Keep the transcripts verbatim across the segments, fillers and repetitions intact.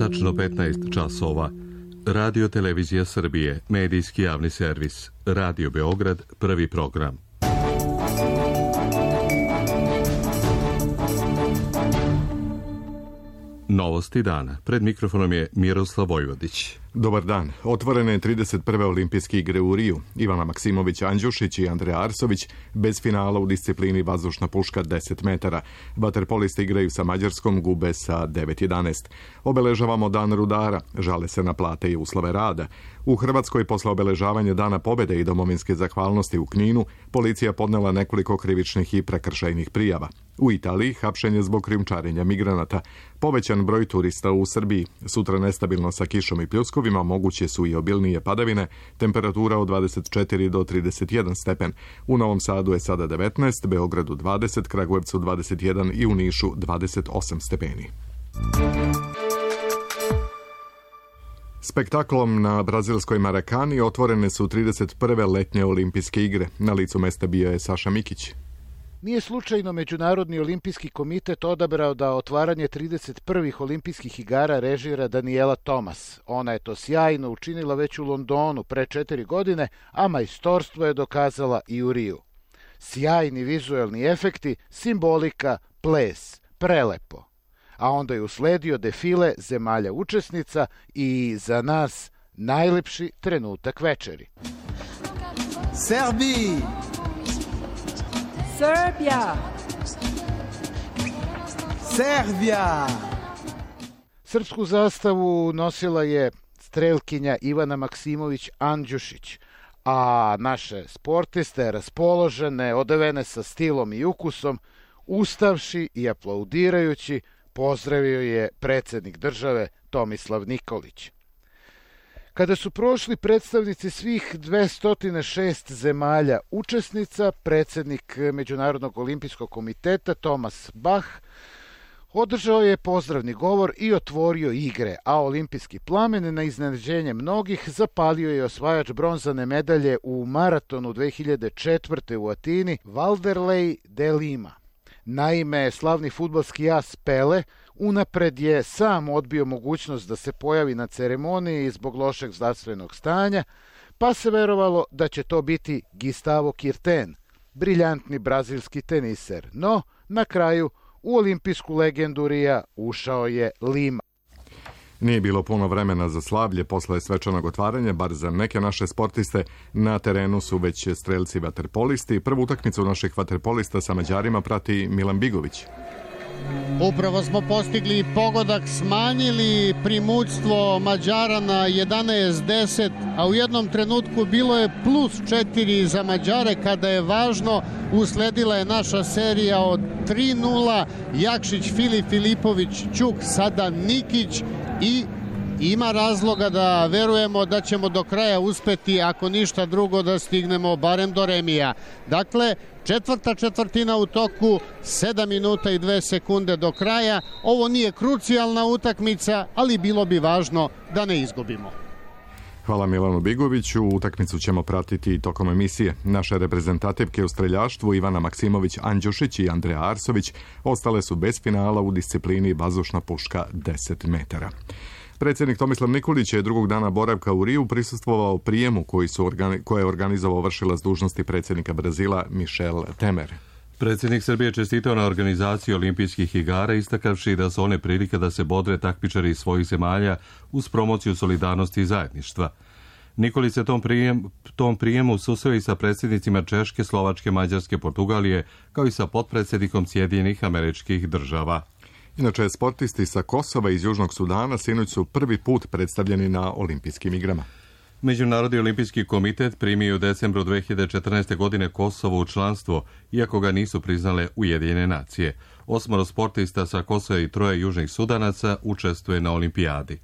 tačno petnaest časova. Radio Televizija Srbije, medijski javni servis, Radio Beograd, prvi program. Novosti dana. Pred mikrofonom je Miroslav Vojvodić. Dobar dan. Otvorene trideset prve olimpijske igre u Riju. Ivana Maksimović Andjušić i Andreja Arsović bez finala u disciplini vazdušna puška deset metara. Vaterpolisti igraju sa Mađarskom, gube sa devet jedanaest. Obeležavamo dan rudara, žale se na plate i uslove rada. U Hrvatskoj posle obeležavanja Dana pobjede i domovinske zahvalnosti u Kninu, policija podnela nekoliko krivičnih i prekršajnih prijava. U Italiji hapšenje zbog krijumčarenja migranata. Povećan broj turista u Srbiji. Sutra nestabilno sa kišom i pljuskovima, moguće su i obilnije padavine, temperatura od dvadeset četiri do trideset jedan stepen. U Novom Sadu je sada devetnaest, Beogradu dvadeset, Kragujevcu dvadeset jedan i u Nišu dvadeset osam stepeni. Spektaklom na brazilskoj Marakani otvorene su trideset prve letnje olimpijske igre. Na licu mesta bio je Saša Mikić. Nije slučajno Međunarodni olimpijski komitet odabrao da otvaranje trideset prvih olimpijskih igara režira Daniela Thomas. Ona je to sjajno učinila već u Londonu pre četiri godine, a majstorstvo je dokazala i u Riju. Sjajni vizuelni efekti, simbolika, ples, prelepo. A onda je usledio defile zemalja učesnica i za nas najlepši trenutak večeri. Srbija! Serbia! Serbia! Srpsku zastavu nosila je strelkinja Ivana Maksimović Andjušić, a naše sportiste raspoložene, odevene sa stilom i ukusom, ustavši i aplaudirajući, pozdravio je predsjednik države Tomislav Nikolić. Kada su prošli predstavnici svih dvesta šest zemalja učesnica, predsjednik Međunarodnog olimpijskog komiteta Thomas Bach održao je pozdravni govor i otvorio igre, a olimpijski plamen na iznenađenje mnogih zapalio je osvajač bronzane medalje u maratonu dve hiljade četvrte. u Atini, Valderlej de Lima. Naime, slavni fudbalski as Pele unapred je sam odbio mogućnost da se pojavi na ceremoniji zbog lošeg zdravstvenog stanja, pa se verovalo da će to biti Gustavo Kirten, briljantni brazilski teniser. No, na kraju u olimpijsku legendu Rija ušao je Lima. Nije bilo puno vremena za slavlje posle svečanog otvaranja, bar za neke naše sportiste. Na terenu su već strelci vaterpolisti. Prvu utakmicu naših vaterpolista sa Mađarima prati Milan Bigović. Upravo smo postigli pogodak, smanjili primućstvo Mađara na jedanaest deset, a u jednom trenutku bilo je plus četiri za Mađare kada je važno. Usledila je naša serija od tri nula, Jakšić, Filip, Filipović, Ćuk, sada Nikić i ima razloga da verujemo da ćemo do kraja uspeti, ako ništa drugo, da stignemo barem do remija. Dakle, četvrta četvrtina u toku, sedam minuta i dve sekunde do kraja. Ovo nije krucijalna utakmica, ali bilo bi važno da ne izgubimo. Hvala Milanu Bigoviću. Utakmicu ćemo pratiti tokom emisije. Naše reprezentativke u streljaštvu Ivana Maksimović Andjušić i Andreja Arsović ostale su bez finala u disciplini vazdušna puška deset metara. Predsjednik Tomislav Nikolić je drugog dana boravka u Riju prisustvovao prijemu koji su organi- koje je organizovao vršilac dužnosti predsjednika Brazila Michel Temer. Predsjednik Srbije čestitao na organizaciji olimpijskih igara, istakavši da su one prilika da se bodre takmičari iz svojih zemalja uz promociju solidarnosti i zajedništva. Nikolić se tom, prijem, tom prijemu susreo i sa predsjednicima Češke, Slovačke, Mađarske, Portugalije, kao i sa potpredsjednikom Sjedinjenih Američkih Država. Inače, sportisti sa Kosova i iz Južnog Sudana sinoć su prvi put predstavljeni na olimpijskim igrama. Međunarodni olimpijski komitet primio u decembru dve hiljade četrnaeste. godine Kosovo u članstvo, iako ga nisu priznale Ujedinjene nacije. Osmoro sportista sa Kosova i troje južnih Sudanaca učestvuje na olimpijadi.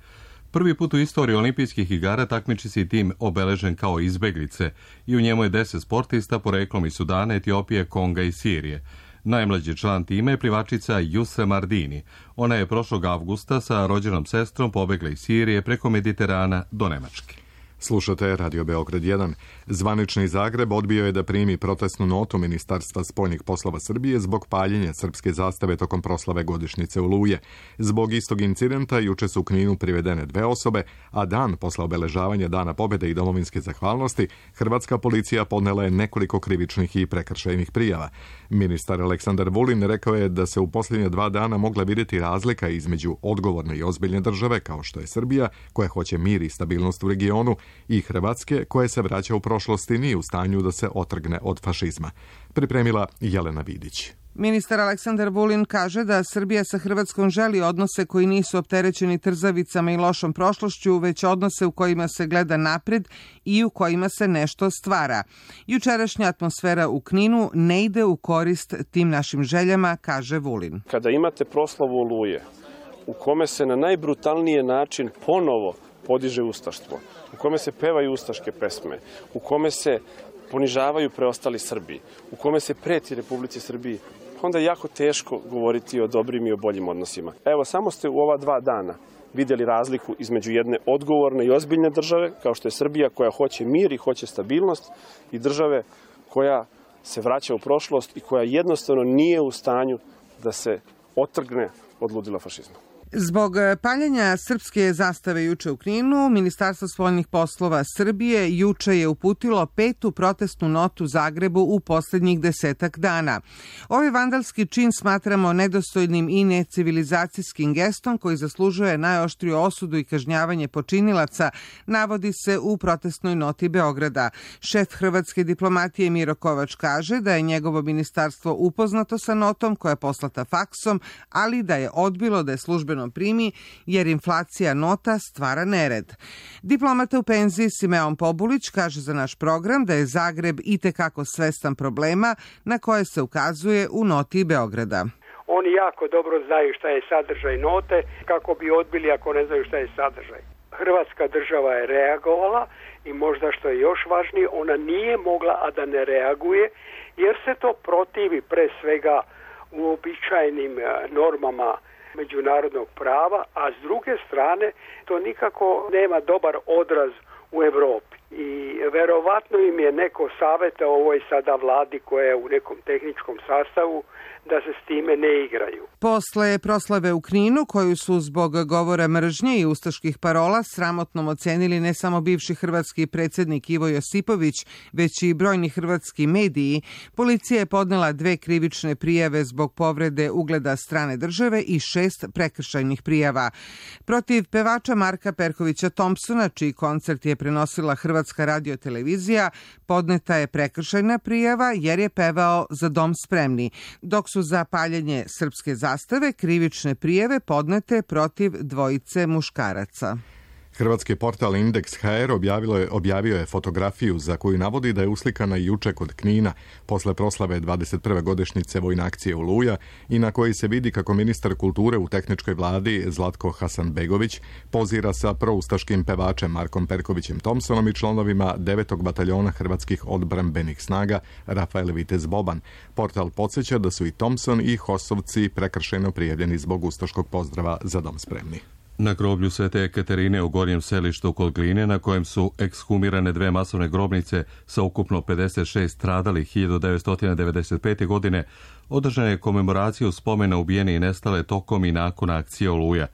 Prvi put u istoriji olimpijskih igara takmiči se i tim obeležen kao izbeglice i u njemu je deset sportista poreklom iz Sudana, Etiopije, Konga i Sirije. Najmlađi član tima je plivačica Jusra Mardini. Ona je prošlog avgusta sa rođenom sestrom pobegla iz Sirije preko Mediterana do Nemačke. Slušate Radio Beograd jedan. Zvanični Zagreb odbio je da primi protestnu notu Ministarstva spoljnih poslova Srbije zbog paljenja srpske zastave tokom proslave godišnjice Oluje. Zbog istog incidenta juče su u Kninu privedene dve osobe, a dan posle obeležavanja Dana pobjede i domovinske zahvalnosti, hrvatska policija podnela je nekoliko krivičnih i prekršajnih prijava. Ministar Aleksandar Vulin rekao je da se u posljednje dva dana mogla vidjeti razlika između odgovorne i ozbiljne države, kao što je Srbija, koja hoće mir i stabilnost u regionu, i Hrvatske, koje se vraća u prošlosti, nije u stanju da se otrgne od fašizma. Pripremila Jelena Vidić. Ministar Aleksandar Vulin kaže da Srbija sa Hrvatskom želi odnose koji nisu opterećeni trzavicama i lošom prošlošću, već odnose u kojima se gleda napred i u kojima se nešto stvara. Jučerašnja atmosfera u Kninu ne ide u korist tim našim željama, kaže Vulin. Kada imate proslavu Oluje, u kome se na najbrutalniji način ponovo podiže ustaštvo, u kome se pevaju ustaške pesme, u kome se ponižavaju preostali Srbi, u kome se preti Republici Srbiji, onda je jako teško govoriti o dobrim i o boljim odnosima. Evo, samo ste u ova dva dana vidjeli razliku između jedne odgovorne i ozbiljne države, kao što je Srbija, koja hoće mir i hoće stabilnost, i države koja se vraća u prošlost i koja jednostavno nije u stanju da se otrgne od ludila fašizma. Zbog paljenja srpske zastave juče u Kninu, Ministarstvo spoljnih poslova Srbije juče je uputilo petu protestnu notu Zagrebu u posljednjih desetak dana. Ovaj vandalski čin smatramo nedostojnim i necivilizacijskim gestom koji zaslužuje najoštriju osudu i kažnjavanje počinilaca, navodi se u protestnoj noti Beograda. Šef hrvatske diplomatije Miro Kovač kaže da je njegovo ministarstvo upoznato sa notom koja je poslata faksom, ali da je odbilo da je službeno primi, jer inflacija nota stvara nered. Diplomata u penziji Simeon Pobulić kaže za naš program da je Zagreb itekako svestan problema na koje se ukazuje u noti Beograda. Oni jako dobro znaju šta je sadržaj note, kako bi odbili ako ne znaju šta je sadržaj. Hrvatska država je reagovala i možda što je još važnije, ona nije mogla a da ne reaguje, jer se to protivi pre svega uobičajenim normama međunarodnog prava, a s druge strane to nikako nema dobar odraz u Evropi. I verovatno im je neko savjetao ovoj sada vladi koja je u nekom tehničkom sastavu da se s time ne igraju. Posle proslave u Kninu, koju su zbog govora mržnje i ustaških parola sramotnom ocenili ne samo bivši hrvatski predsjednik Ivo Josipović, već i brojni hrvatski mediji, policija je podnela dve krivične prijave zbog povrede ugleda strane države i šest prekršajnih prijava. Protiv pevača Marka Perkovića Thompsona, čiji koncert je prenosila Hrvatska radiotelevizija, podneta je prekršajna prijava jer je pevao Za dom spremni, dok su za paljenje srpske zastave krivične prijave podnete protiv dvojice muškaraca. Hrvatski portal Indeks ha er objavio je, objavio je fotografiju za koju navodi da je uslikana juče kod Knina posle proslave dvadeset prve godišnjice vojne akcije Oluja i na kojoj se vidi kako ministar kulture u tehničkoj vladi Zlatko Hasanbegović pozira sa proustaškim pevačem Markom Perkovićem Thompsonom i članovima devetog bataljona hrvatskih odbrambenih snaga Rafael Vitez Boban. Portal podsjeća da su i Thompson i Hosovci prekršajno prijavljeni zbog ustaškog pozdrava Za dom spremni. Na groblju Svete Ekaterine u Gornjem Selištu kod Gline, na kojem su ekshumirane dve masovne grobnice sa ukupno pedeset šest stradalih hiljadu devetsto devedeset pete. godine, održana je komemoracija spomena ubijene i nestale tokom i nakon akcije Oluja.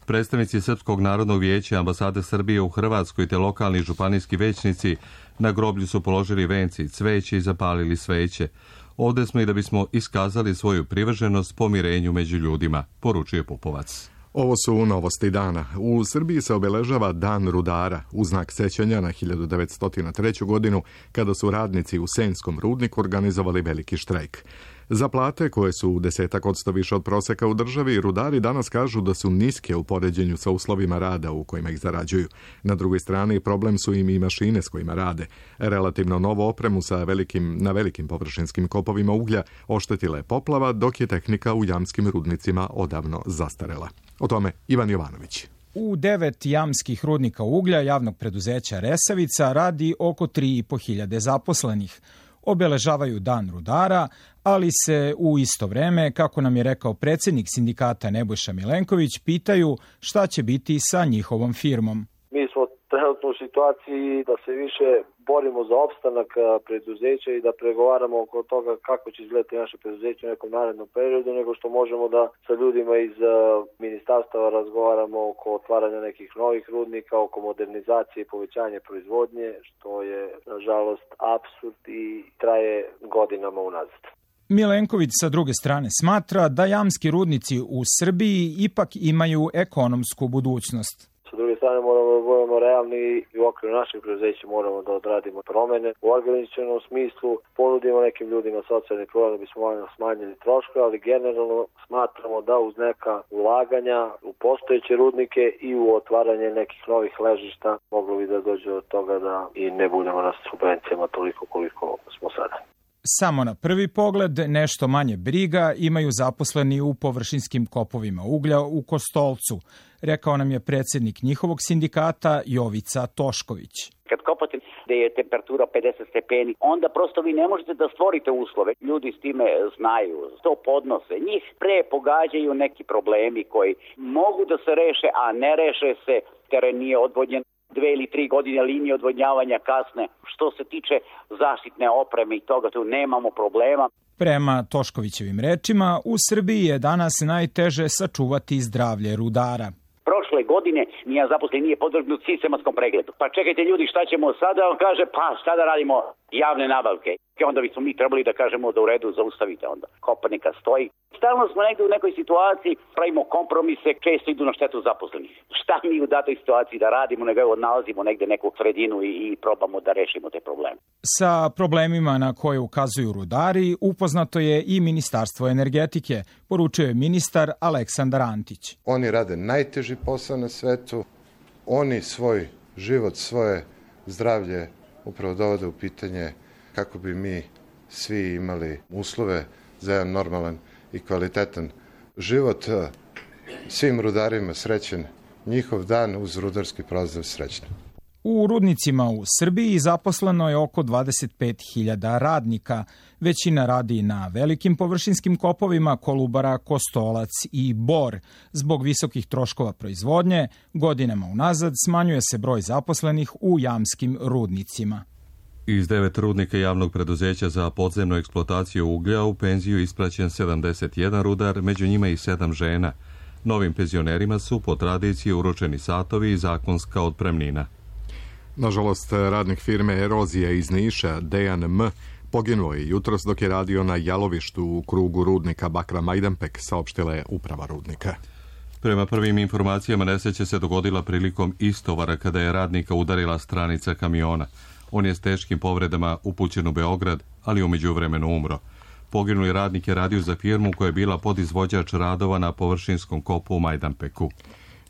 Predstavnici Srpskog narodnog vijeća, ambasade Srbije u Hrvatskoj te lokalni županijski većnici na groblju su položili venci i cveće i zapalili sveće. Ovde smo i da bismo iskazali svoju privrženost pomirenju među ljudima, poručuje Pupovac. Ovo su novosti dana. U Srbiji se obeležava Dan rudara u znak sećanja na hiljadu devetsto treću. godinu kada su radnici u Senskom rudniku organizovali veliki štrajk. Za plate, koje su u desetak odsto više od proseka u državi, rudari danas kažu da su niske u poređenju sa uslovima rada u kojima ih zarađuju. Na drugoj strani problem su im i mašine s kojima rade. Relativno novu opremu sa velikim, na velikim površinskim kopovima uglja oštetila je poplava, dok je tehnika u jamskim rudnicima odavno zastarela. O tome Ivan Jovanović. U devet jamskih rudnika uglja javnog preduzeća Resavica radi oko tri i po hiljade zaposlenih. Obeležavaju Dan rudara, ali se u isto vreme, kako nam je rekao predsjednik sindikata Nebojša Milenković, pitaju šta će biti sa njihovom firmom. Mi smo trenutno u u situaciji da se više borimo za opstanak preduzeća i da pregovaramo oko toga kako će izgledati naše preduzeće u nekom narednom periodu, nego što možemo da sa ljudima iz ministarstava razgovaramo oko otvaranja nekih novih rudnika, oko modernizacije i povećanja proizvodnje, što je nažalost apsurd i traje godinama unazad. Milenković sa druge strane smatra da jamski rudnici u Srbiji ipak imaju ekonomsku budućnost. Sa druge strane moramo da budemo realni i u okviru naših preduzeća moramo da odradimo promene. U organizacionom smislu ponudimo nekim ljudima socijalni program da bismo smanjili troškove, ali generalno smatramo da uz neka ulaganja u postojeće rudnike i u otvaranje nekih novih ležišta moglo bi da dođe od toga da i ne budemo na subvencijama toliko koliko smo sada. Samo na prvi pogled nešto manje briga imaju zaposleni u površinskim kopovima uglja u Kostolcu, rekao nam je predsjednik njihovog sindikata Jovica Tošković. Kad kopate gde je temperatura pedeset stepeni, onda prosto vi ne možete da stvorite uslove. Ljudi s time znaju, to podnose. Njih pre pogađaju neki problemi koji mogu da se reše, a ne reše se, teren nije odvodnjen. Dve ili tri godine linije odvodnjavanja kasne. Što se tiče zaštitne opreme i toga, tu nemamo problema. Prema Toškovićevim rečima, u Srbiji je danas najteže sačuvati zdravlje rudara. Prošle godine nijedan zaposleni nije podvrgnut sistematskom pregledu. Pa čekajte ljudi, šta ćemo sada? On kaže, pa šta da radimo? Javne nabavke. I onda bismo mi trebali da kažemo da u redu zaustavite onda. Kopanika stoji. Stalno smo negde u nekoj situaciji, pravimo kompromise, često idu na štetu zaposlenih. Šta mi u datoj situaciji da radimo, nego odnalazimo negde neku sredinu i, i probamo da rešimo te probleme. Sa problemima na koje ukazuju rudari upoznato je i Ministarstvo energetike, poručio je ministar Aleksandar Antić. Oni rade najteži posao na svetu, oni svoj život, svoje zdravlje upravo dovode u pitanje kako bi mi svi imali uslove za jedan normalan i kvalitetan život. Svim rudarima srećen njihov dan, uz rudarski pozdrav srećno. U rudnicima u Srbiji zaposleno je oko dvadeset pet hiljada radnika. Većina radi na velikim površinskim kopovima Kolubara, Kostolac i Bor. Zbog visokih troškova proizvodnje, godinama unazad smanjuje se broj zaposlenih u jamskim rudnicima. Iz devet rudnika javnog preduzeća za podzemnu eksploataciju uglja u penziju ispraćen sedamdeset jedan rudar, među njima i sedam žena. Novim penzionerima su po tradiciji uručeni satovi i zakonska otpremnina. Nažalost, radnik firme Erozija iz Niša, Dejan M., poginuo je jutros dok je radio na jalovištu u krugu rudnika Bakra Majdanpek, saopštila je uprava rudnika. Prema prvim informacijama, nesreća se dogodila prilikom istovara kada je radnika udarila stranica kamiona. On je s teškim povredama upućen u Beograd, ali u međuvremenu umro. Poginuli radnik je radio za firmu koja je bila podizvođač radova na površinskom kopu u Majdanpeku.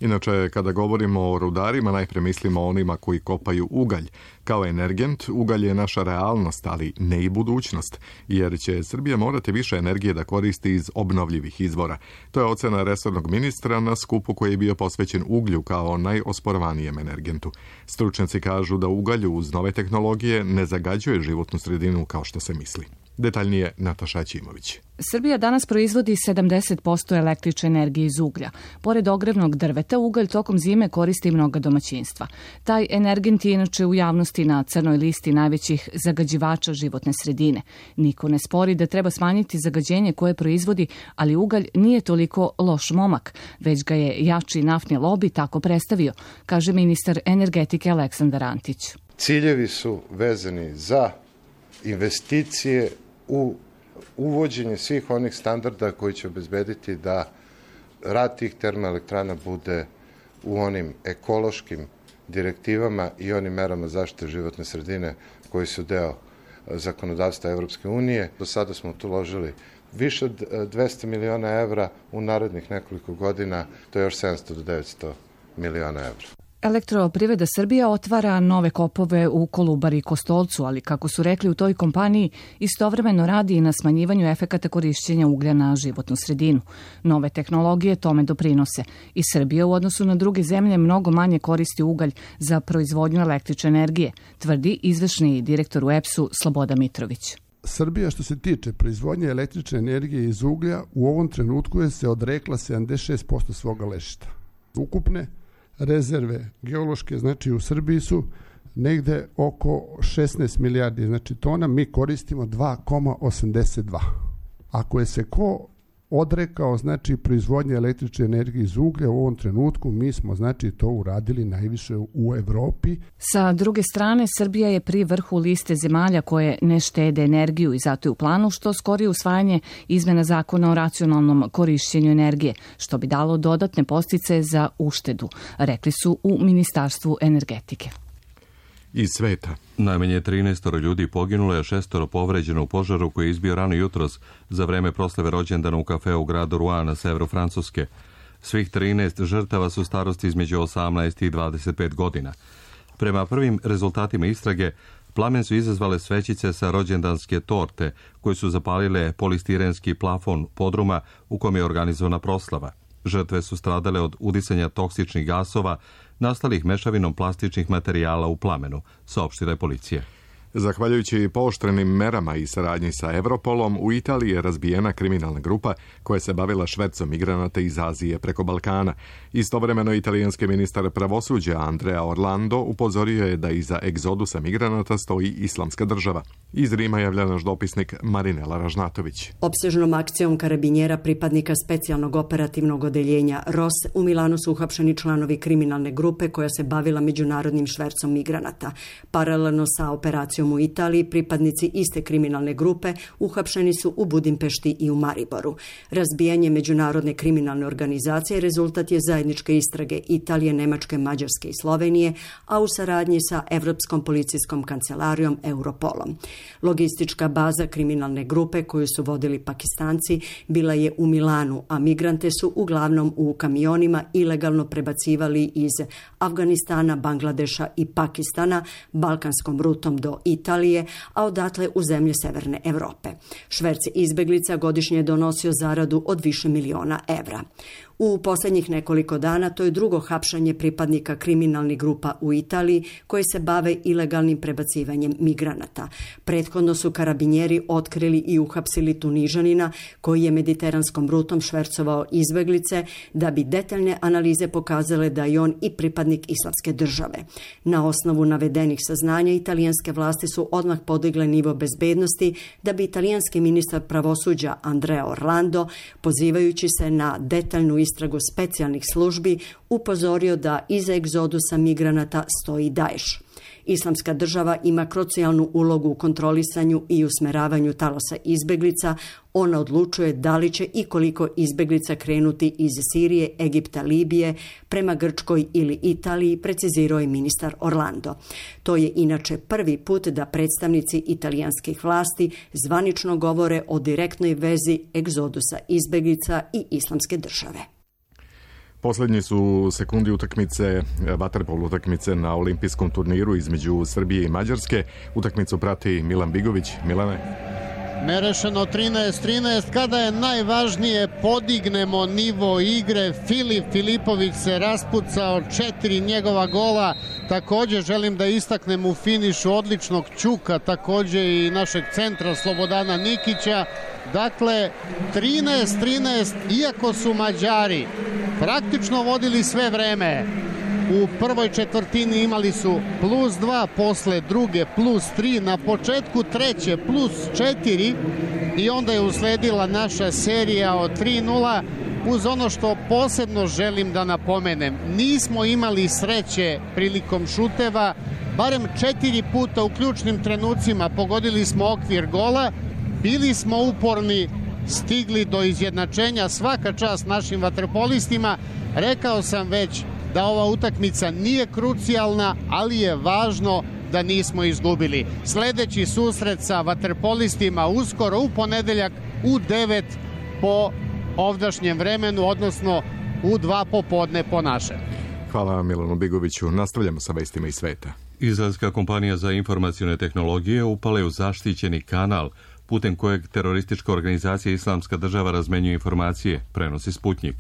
Inače, kada govorimo o rudarima, najpre mislimo o onima koji kopaju ugalj. Kao energent, ugalj je naša realnost, ali ne i budućnost, jer će Srbija morati više energije da koristi iz obnovljivih izvora. To je ocena resornog ministra na skupu koji je bio posvećen uglju kao najosporavanijem energentu. Stručnjaci kažu da ugalj uz nove tehnologije ne zagađuje životnu sredinu kao što se misli. Detaljnije Nataša Ćimović. Srbija danas proizvodi sedamdeset posto električne energije iz uglja. Pored ogrevnog drveta, ugalj tokom zime koristi mnoga domaćinstva. Taj energent je inače u javnosti na crnoj listi najvećih zagađivača životne sredine. Niko ne spori da treba smanjiti zagađenje koje proizvodi, ali ugalj nije toliko loš momak, već ga je jači naftni lobi tako predstavio, kaže ministar energetike Aleksandar Antić. Ciljevi su vezani za investicije u uvođenje svih onih standarda koji će obezbediti da rad tih termoelektrana bude u onim ekološkim direktivama i onim merama zaštite životne sredine koji su deo zakonodavstva Evropske unije. Do sada smo tu uložili više od dvesta miliona evra, u narednih nekoliko godina to je još sedamsto do devetsto miliona evra. Elektroprivreda Srbija otvara nove kopove u Kolubari i Kostolcu, ali kako su rekli u toj kompaniji, istovremeno radi i na smanjivanju efekata korišćenja uglja na životnu sredinu. Nove tehnologije tome doprinose i Srbija u odnosu na druge zemlje mnogo manje koristi ugalj za proizvodnju električne energije, tvrdi izvršni direktor u E P S-u Sloboda Mitrović. Srbija što se tiče proizvodnje električne energije iz uglja u ovom trenutku je se odrekla sedamdeset šest posto svoga ležišta. Ukupne rezerve geološke, znači u Srbiji su negde oko šesnaest milijardi, znači tona, mi koristimo dva zarez osamdeset dva. Ako je se ko odrekao, znači, proizvodnje električne energije iz uglja u ovom trenutku, mi smo, znači, to uradili najviše u Evropi. Sa druge strane, Srbija je pri vrhu liste zemalja koje ne štede energiju i zato je u planu što skorije usvajanje izmena zakona o racionalnom korišćenju energije, što bi dalo dodatne podsticaje za uštedu, rekli su u Ministarstvu energetike. Iz sveta. Najmanje trinaest ljudi poginulo, a šestoro povređeno u požaru koji je izbio rano jutros za vreme proslave rođendana u kafeu u gradu Rouen na severu Francuske. Svih trinaest žrtava su starosti između osamnaest i dvadeset pet godina. Prema prvim rezultatima istrage, plamen su izazvale svećice sa rođendanske torte koje su zapalile polistirenski plafon podruma u kom je organizovana proslava. Žrtve su stradale od udisanja toksičnih gasova nastalih mešavinom plastičnih materijala u plamenu, saopštila je policija. Zahvaljujući pooštrenim merama i saradnji sa Europolom, u Italiji je razbijena kriminalna grupa koja se bavila švercom migranata iz Azije preko Balkana. Istovremeno, italijanski ministar pravosuđa Andrea Orlando upozorio je da iza egzodusa migranata stoji Islamska država. Iz Rima javlja naš dopisnik Marinela Ražnatović. Opsežnom akcijom karabinjera pripadnika specijalnog operativnog odeljenja R O S u Milanu su uhapšeni članovi kriminalne grupe koja se bavila međunarodnim švercom migranata. Paralelno sa operacijom u Italiji, pripadnici iste kriminalne grupe uhapšeni su u Budimpešti i u Mariboru. Razbijanje međunarodne kriminalne organizacije rezultat je zajedničke istrage Italije, Nemačke, Mađarske i Slovenije, a u saradnji sa Evropskom policijskom kancelarijom Europolom. Logistička baza kriminalne grupe koju su vodili Pakistanci bila je u Milanu, a migrante su uglavnom u kamionima ilegalno prebacivali iz Afganistana, Bangladeša i Pakistana balkanskom rutom do Italije, a odatle u zemlje Severne Evrope. Šverc izbeglica godišnje je donosio zaradu od više miliona evra. U posljednjih nekoliko dana to je drugo hapšanje pripadnika kriminalnih grupa u Italiji koji se bave ilegalnim prebacivanjem migranata. Prethodno su karabinjeri otkrili i uhapsili Tunižanina koji je mediteranskom rutom švercovao izbeglice da bi detaljne analize pokazale da je on i pripadnik Islamske države. Na osnovu navedenih saznanja italijanske vlasti su odmah podigle nivo bezbednosti da bi italijanski ministar pravosuđa Andrea Orlando, pozivajući se na detaljnu istragu specijalnih službi, upozorio da iza egzodusa migranata stoji Daesh. Islamska država ima krucijalnu ulogu u kontrolisanju i usmeravanju talosa izbeglica. Ona odlučuje da li će i koliko izbeglica krenuti iz Sirije, Egipta, Libije prema Grčkoj ili Italiji, precizirao je ministar Orlando. To je inače prvi put da predstavnici italijanskih vlasti zvanično govore o direktnoj vezi egzodusa izbeglica i Islamske države. Posljednji su sekundi utakmice, vaterpol utakmice na olimpijskom turniru između Srbije i Mađarske. Utakmicu prati Milan Bigović. Milane. Nerešeno trinaest trinaest, kada je najvažnije podignemo nivo igre. Filip Filipović se raspucao, četiri njegova gola. Također želim da istaknem u finišu odličnog Ćuka, također i našeg centra Slobodana Nikića. Dakle, trinaest trinaest, iako su Mađari praktično vodili sve vreme. U prvoj četvrtini imali su plus dva, posle druge plus tri, na početku treće plus četiri i onda je usledila naša serija od tri nula. Uz ono što posebno želim da napomenem, nismo imali sreće prilikom šuteva, barem četiri puta u ključnim trenucima pogodili smo okvir gola, bili smo uporni, stigli do izjednačenja, svaka čast našim vaterpolistima. Rekao sam već da ova utakmica nije krucijalna, ali je važno da nismo izgubili. Sljedeći susret sa vaterpolistima uskoro u ponedeljak u devet po ovdašnjem vremenu, odnosno u dva popodne po našem. Hvala Milanu Bigoviću. Nastavljamo sa vestima iz sveta. Izraelska kompanija za informacione tehnologije upala je u zaštićeni kanal putem kojeg teroristička organizacija Islamska država razmenjuje informacije, prenosi Sputnjik.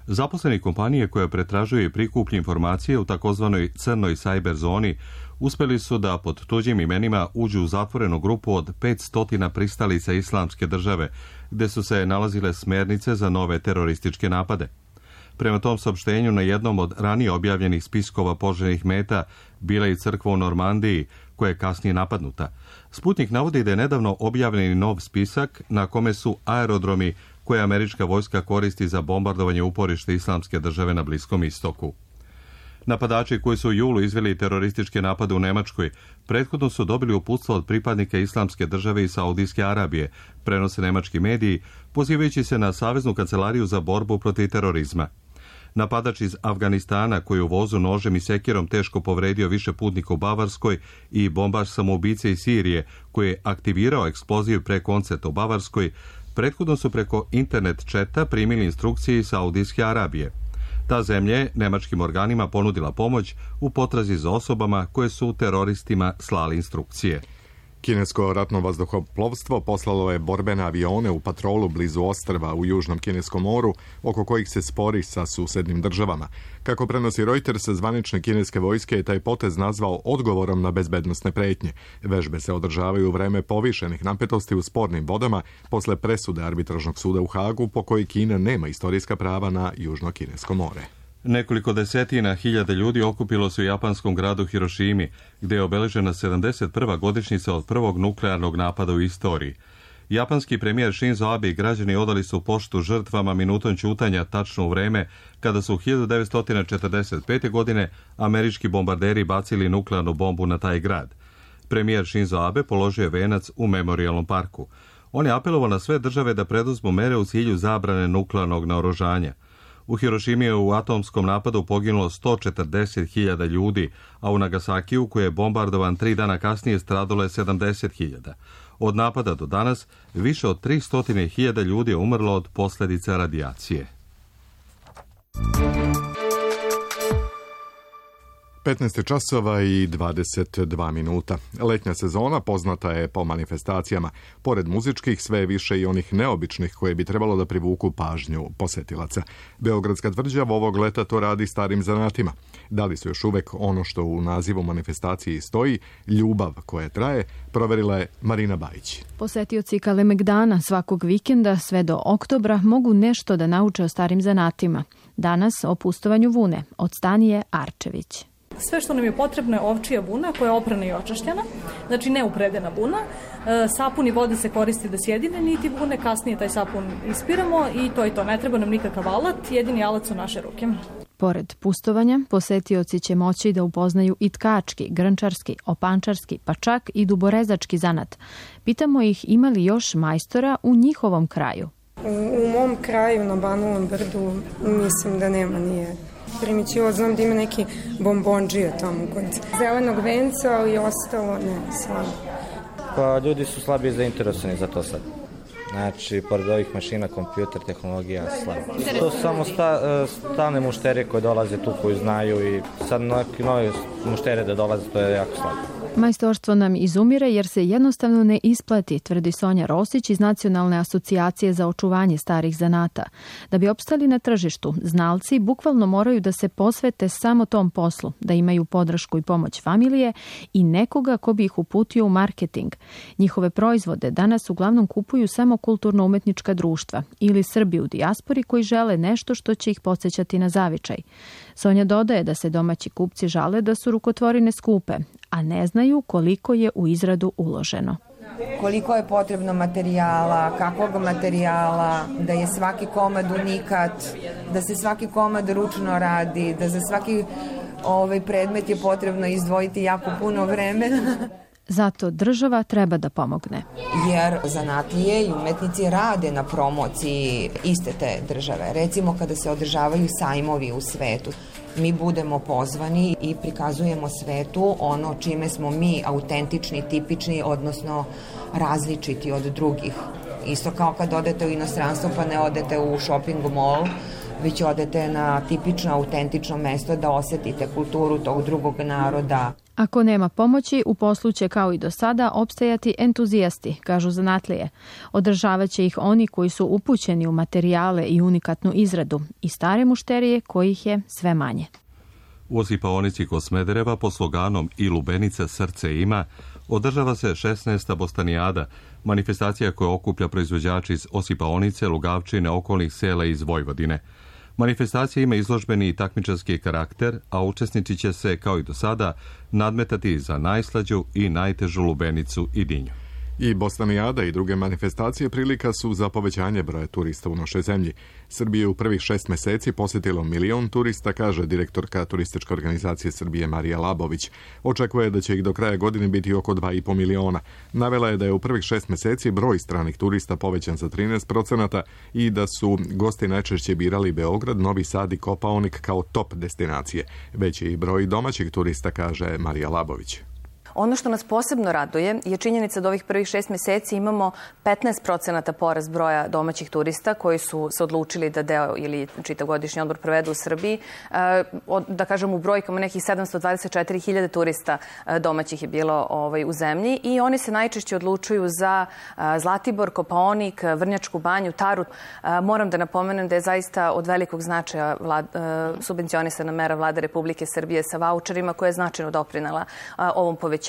Zaposleni kompanije koja pretražuje i prikuplja informacije u takozvanoj crnoj sajber zoni uspjeli su da pod tuđim imenima uđu u zatvorenu grupu od petsto pristalica Islamske države, gde su se nalazile smernice za nove terorističke napade. Prema tom saopštenju, na jednom od ranije objavljenih spiskova poželjnih meta bila i crkva u Normandiji, koja je kasnije napadnuta. Sputnik navodi da je nedavno objavljen nov spisak na kome su aerodromi koje američka vojska koristi za bombardovanje uporište Islamske države na Bliskom istoku. Napadači koji su u julu izveli terorističke napade u Nemačkoj prethodno su dobili uputstvo od pripadnika Islamske države i Saudijske Arabije, prenose nemački mediji, pozivajući se na Saveznu kancelariju za borbu protiv terorizma. Napadač iz Afganistana, koji u vozu nožem i sekirom teško povredio više putnika u Bavarskoj, i bombaš samoubice iz Sirije, koji je aktivirao eksploziv pre koncerta u Bavarskoj, prethodno su preko internet četa primili instrukcije iz Saudijske Arabije. Ta zemlja je nemačkim organima ponudila pomoć u potrazi za osobama koje su teroristima slali instrukcije. Kinesko ratno vazduhoplovstvo poslalo je borbene avione u patrolu blizu ostrva u Južnom Kineskom moru, oko kojih se spori sa susednim državama. Kako prenosi Reuters, zvanične kineske vojske je taj potez nazvao odgovorom na bezbednosne pretnje. Vežbe se održavaju u vreme povišenih napetosti u spornim vodama posle presude arbitražnog suda u Hagu, po kojoj Kina nema istorijska prava na Južno Kinesko more. Nekoliko desetina hiljada ljudi okupilo se u japanskom gradu Hirošimi, gde je obeležena sedamdeset prva godišnjica od prvog nuklearnog napada u istoriji. Japanski premijer Shinzo Abe i građani odali su poštu žrtvama minutom ćutanja tačno u vreme kada su hiljadu devetsto četrdeset pete. godine američki bombarderi bacili nuklearnu bombu na taj grad. Premijer Shinzo Abe položio je venac u memorijalnom parku. On je apelovao na sve države da preduzmu mere u cilju zabrane nuklearnog naoružanja. U Hirošimi je u atomskom napadu poginulo sto četrdeset hiljada ljudi, a u Nagasakiju, koji je bombardovan tri dana kasnije, stradalo je sedamdeset hiljada. Od napada do danas više od tristo hiljada ljudi je umrlo od posljedica radijacije. petnaest časova i dvadeset dva minuta. Letnja sezona poznata je po manifestacijama. Pored muzičkih, sve je više i onih neobičnih koje bi trebalo da privuku pažnju posetilaca. Beogradska tvrđava ovog leta to radi starim zanatima. Da li su još uvek ono što u nazivu manifestacije stoji, ljubav koja traje, proverila je Marina Bajić. Posetioci Kalemegdana svakog vikenda sve do oktobra mogu nešto da nauče o starim zanatima. Danas o pustovanju vune od Stanije Arčević. Sve što nam je potrebno je ovčija vuna koja je oprana i očašćena, znači neupredena vuna. Sapun i voda se koristi da sjedine niti vune, kasnije taj sapun ispiramo i to je to. Ne treba nam nikakav alat, jedini alat su naše ruke. Pored pustovanja, posetioci će moći da upoznaju i tkački, grnčarski, opančarski, pa čak i duborezački zanat. Pitamo ih ima li još majstora u njihovom kraju. U, u mom kraju na Banovom brdu mislim da nema, nije primićivo. Znam da ima neki bombonđija tamo kod zelenog venca, ali ostalo ne, slabo. Pa ljudi su slabije zainteresovani za to sad. Znači, pored ovih mašina, kompjuter, tehnologija, slabo. To su samo sta, stalne mušterije koje dolaze tu, koji znaju, i sad neki nove mušterije da dolaze, to je jako slabo. Majstorstvo nam izumire jer se jednostavno ne isplati, tvrdi Sonja Rosić iz Nacionalne asocijacije za očuvanje starih zanata. Da bi opstali na tržištu, znalci bukvalno moraju da se posvete samo tom poslu, da imaju podršku i pomoć familije i nekoga ko bi ih uputio u marketing. Njihove proizvode danas uglavnom kupuju samo kulturno-umetnička društva ili Srbi u dijaspori koji žele nešto što će ih podsjećati na zavičaj. Sonja dodaje da se domaći kupci žale da su rukotvorine skupe, a ne znaju koliko je u izradu uloženo. Koliko je potrebno materijala, kakvog materijala, da je svaki komad unikat, da se svaki komad ručno radi, da za svaki ovaj predmet je potrebno izdvojiti jako puno vremena. Zato država treba da pomogne. Jer zanatlije i umetnici rade na promociji iste te države. Recimo kada se održavaju sajmovi u svetu, mi budemo pozvani i prikazujemo svetu ono čime smo mi autentični, tipični, odnosno različiti od drugih. Isto kao kad odete u inostranstvo pa ne odete u shopping mall, već odete na tipično, autentično mesto da osetite kulturu tog drugog naroda. Ako nema pomoći, u poslu će kao i do sada opstajati entuzijasti, kažu zanatlije. Održavaće ih oni koji su upućeni u materijale i unikatnu izradu i stare mušterije kojih je sve manje. U Osipaonici kod Smedereva pod sloganom I lubenica srce ima održava se šesnaesta Bostanijada, manifestacija koja okuplja proizvođači iz Osipaonice, Lugavčine, okolnih sela iz Vojvodine. Manifestacija ima izložbeni i takmičarski karakter, a učesnici će se, kao i do sada, nadmetati za najslađu i najtežu lubenicu i dinju. I Bostanijada i druge manifestacije prilika su za povećanje broja turista u našoj zemlji. Srbije u prvih šest meseci posjetilo milion turista, kaže direktorka Turističke organizacije Srbije Marija Labović. Očekuje da će ih do kraja godine biti oko dva i po miliona. Navela je da je u prvih šest meseci broj stranih turista povećan za trinaest procenata i da su gosti najčešće birali Beograd, Novi Sad i Kopaonik kao top destinacije. Veći i broj domaćih turista, kaže Marija Labović. Ono što nas posebno raduje je činjenica da ovih prvih šest meseci imamo petnaest procenata porast broja domaćih turista koji su se odlučili da deo ili čitavogodišnji odmor provedu u Srbiji. Da kažem, u brojkama nekih sedamsto dvadeset četiri hiljade turista domaćih je bilo ovaj, u zemlji i oni se najčešće odlučuju za Zlatibor, Kopaonik, Vrnjačku banju, Taru. Moram da napomenem da je zaista od velikog značaja vlad, subvencionisana mera Vlade Republike Srbije sa vaučerima koja je značajno doprinela ovom povećanju,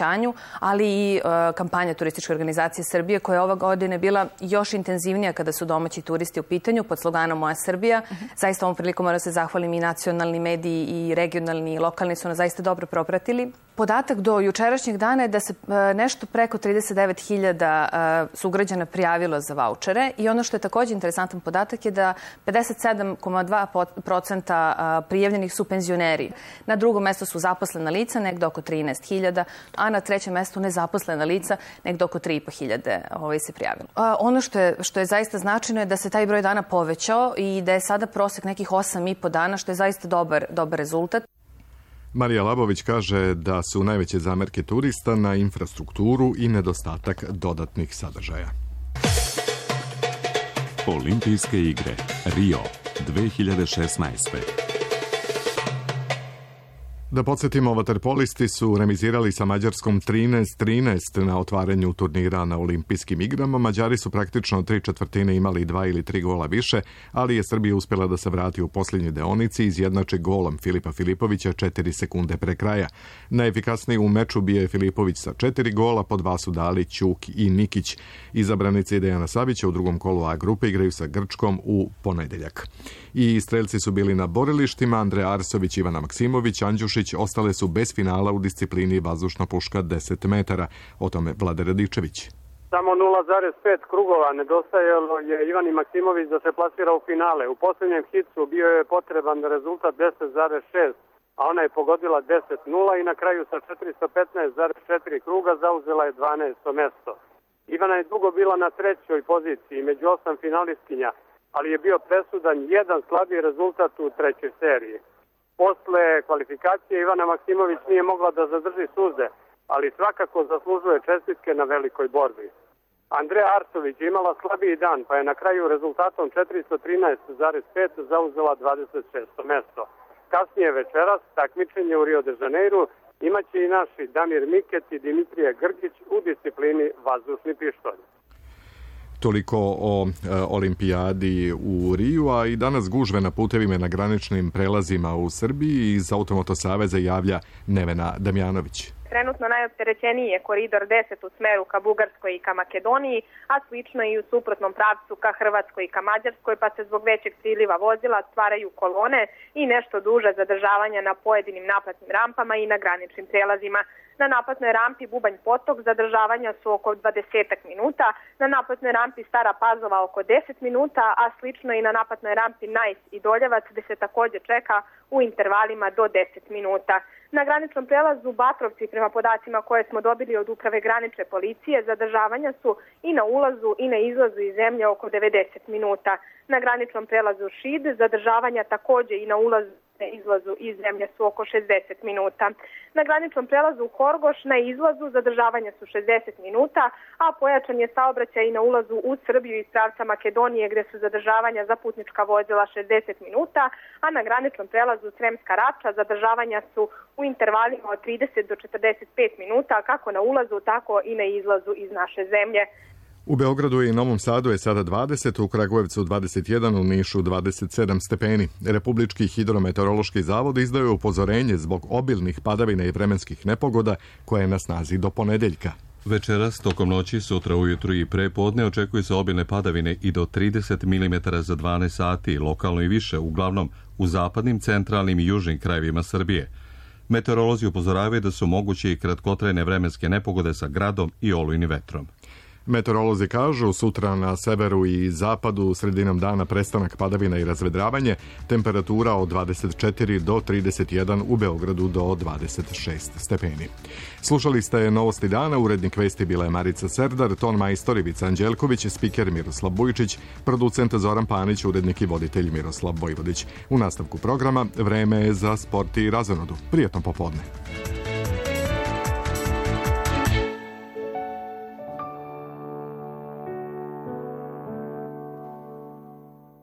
ali i uh, kampanja Turističke organizacije Srbije koja je ova godine bila još intenzivnija kada su domaći turisti u pitanju pod sloganom Moja Srbija. Uh-huh. Zaista ovom prilikom moram se zahvalim i nacionalni mediji i regionalni i lokalni su nas zaista dobro propratili. Podatak do jučerašnjeg dana je da se uh, nešto preko trideset devet hiljada uh, sugrađana prijavilo za vaučere i ono što je također interesantan podatak je da pedeset sedam zarez dva procenta uh, prijavljenih su penzioneri. Na drugom mjestu su zaposlena lica, negdje oko trinaest hiljada, a na trećem mjestu nezaposlena lica, negdje oko tri i po hiljade ovaj, se prijavilo. A, ono što je, što je zaista značajno je da se taj broj dana povećao i da je sada prosjek nekih osam i po dana, što je zaista dobar, dobar rezultat. Marija Labović kaže da su najveće zamerke turista na infrastrukturu i nedostatak dodatnih sadržaja. Olimpijske igre Rio dve hiljade šesnaeste. Da podsjetimo, vaterpolisti su remizirali sa Mađarskom trinaest trinaest na otvaranju turnira na olimpijskim igrama. Mađari su praktično tri četvrtine imali dva ili tri gola više, ali je Srbija uspjela da se vrati u posljednjoj deonici i izjednači golom Filipa Filipovića četiri sekunde pre kraja. Najefikasniji u meču bio je Filipović sa četiri gola, po dva su dali Ćuk i Nikić. Izabranici Dejana Savića u drugom kolu A grupe igraju sa Grčkom u ponedeljak. I strelci su bili na borilištima. Andreja Arsović, Ivana Maksimović, Andjušić ostale su bez finala u disciplini vazdušna puška deset metara. O tome Vlade Radičević. Samo nula zarez pet krugova nedostajalo je Ivani Maksimović da se plasira u finale. U posljednjem hitu bio je potreban rezultat deset zarez šest, a ona je pogodila deset nula i na kraju sa četiristo petnaest zarez četiri kruga zauzela je dvanaesto mesto. Ivana je dugo bila na trećoj poziciji među osam finalistkinja, ali je bio presudan jedan slabiji rezultat u trećoj seriji. Posle kvalifikacije Ivana Maksimović nije mogla da zadrži suze, ali svakako zaslužuje čestitke na velikoj borbi. Andreja Arsović je imala slabiji dan, pa je na kraju rezultatom četiristo trinaest zarez pet zauzela dvadeset šesto mesto. Kasnije večeras takmičenje u Rio de Janeiru imaće i naši Damir Miket i Dimitrije Grgić u disciplini vazdušni pištolj. Toliko o e, olimpijadi u Riju, a i danas gužve na putevima na graničnim prelazima u Srbiji. Iz Automoto saveza javlja Nevena Damjanović. Trenutno najopterećeniji je koridor deset u smeru ka Bugarskoj i ka Makedoniji, a slično i u suprotnom pravcu ka Hrvatskoj i ka Mađarskoj, pa se zbog većeg priliva vozila stvaraju kolone i nešto duže zadržavanja na pojedinim naplatnim rampama i na graničnim prelazima. Na naplatnoj rampi Bubanj Potok zadržavanja su oko dvadeset minuta, na naplatnoj rampi Stara Pazova oko deset minuta, a slično i na naplatnoj rampi Najs i Doljevac gde se također čeka u intervalima do deset minuta. Na graničnom prelazu Batrovci, prema podacima koje smo dobili od uprave granične policije, zadržavanja su i na ulazu i na izlazu iz zemlje oko devedeset minuta. Na graničnom prelazu Šid zadržavanja također i na ulazu i izlazu iz zemlje su oko šezdeset minuta. Na graničnom prelazu Horgoš na izlazu zadržavanja su šezdeset minuta, a pojačan je saobraćaj i na ulazu u Srbiju iz pravca Makedonije gdje su zadržavanja za putnička vozila šezdeset minuta, a na graničnom prelazu Sremska Rača zadržavanja su u intervalima od trideset do četrdeset pet minuta kako na ulazu tako i na izlazu iz naše zemlje. U Beogradu i Novom Sadu je sada dvadeset, u Kragujevcu dvadeset jedan, u Nišu dvadeset sedam stepeni. Republički hidrometeorološki zavod izdao je upozorenje zbog obilnih padavina i vremenskih nepogoda koje je na snazi do ponedeljka. Večeras, tokom noći, sutra ujutru i pre podne očekuju se obilne padavine i do trideset milimetara za dvanaest sati, lokalno i više, uglavnom u zapadnim, centralnim i južnim krajevima Srbije. Meteorolozi upozoravaju da su moguće i kratkotrajne vremenske nepogode sa gradom i olujnim vetrom. Meteorolozi kažu sutra na severu i zapadu sredinom dana prestanak padavina i razvedravanje, temperatura od dvadeset četiri do trideset jedan, u Beogradu do dvadeset šest stepeni. Slušali ste Novosti dana, urednik vesti bila je Marica Serdar, ton majstor Ivica Anđelković, spiker Miroslav Bujčić, producent Zoran Panić, urednik i voditelj Miroslav Vojvodić. U nastavku programa vreme je za sport i razonodu. Prijetno popodne.